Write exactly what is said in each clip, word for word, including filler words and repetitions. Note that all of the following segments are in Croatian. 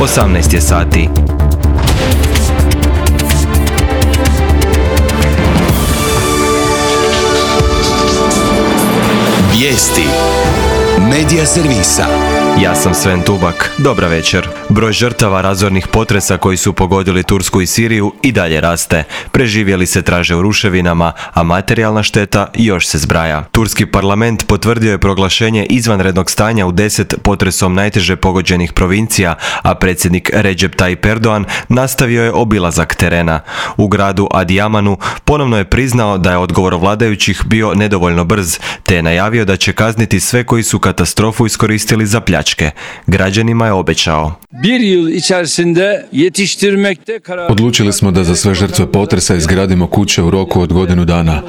osamnaest je sati. Vijesti Medija servisa. Ja sam Sven Tubak. Dobra večer. Broj žrtava razornih potresa koji su pogodili Tursku i Siriju i dalje raste. Preživjeli se traže u ruševinama, a materijalna šteta još se zbraja. Turski parlament potvrdio je proglašenje izvanrednog stanja u deset potresom najteže pogođenih provincija, a predsjednik Recep Tayyip Erdogan nastavio je obilazak terena. U gradu Adiamanu ponovno je priznao da je odgovor vladajućih bio nedovoljno brz, te je najavio da će kazniti sve koji su katastrofu iskoristili za pljačke. Građanima je obećao. Odlučili smo da za sve žrtve potresa izgradimo kuće u roku od godinu dana.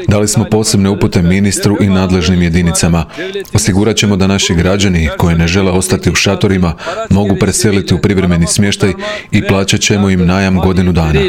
Dali smo posebne upute ministru i nadležnim jedinicama. Osigurat ćemo da naši građani koji ne žele ostati u šatorima mogu preseliti u privremeni smještaj i plaćat ćemo im najam godinu dana.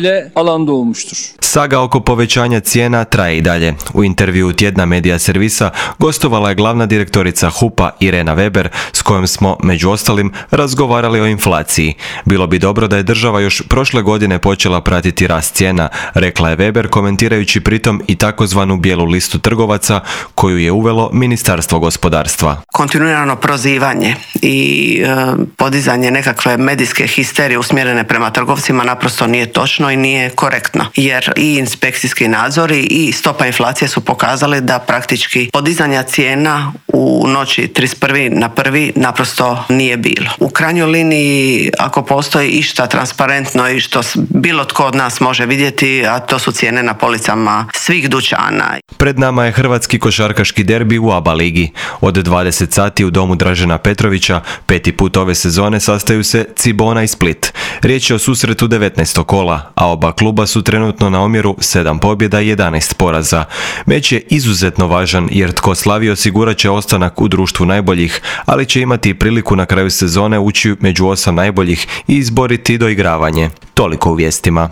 Saga oko povećanja cijena traje i dalje. U intervjuu tjedna Medija servisa gostovala je glavna direktorica H U P-a Irena Weber, s kojom smo, među ostalim, razgovarali o inflaciji. Bilo bi dobro da je država još prošle godine počela pratiti rast cijena, rekla je Weber, komentirajući pritom i takozvanu bijelu listu trgovaca koju je uvelo Ministarstvo gospodarstva. Kontinuirano prozivanje i e, podizanje nekakve medijske histerije usmjerene prema trgovcima naprosto nije točno i nije korektno, jer i inspekcijski nadzori i stopa inflacije su pokazali da praktički podizanja cijena u noći trideset prvi na prvi naprosto nije bilo. U krajnjoj liniji, ako postoji išta transparentno i što bilo tko od nas može vidjeti, a to su cijene na policama svih dućana. Pred nama je hrvatski košarkaški derbi u A B A ligi. Od dvadeset sati u domu Dražena Petrovića peti put ove sezone sastaju se Cibona i Split. Riječ je o susretu devetnaestog kola, a oba kluba su trenutno na omjeru sedam pobjeda i jedanaest poraza. Meč je izuzetno važan jer tko slavi osigurat će ostanak u društvu najboljih, ali će imati priliku na kraju sezone ući među osam najboljih i izboriti doigravanje. Toliko u vijestima.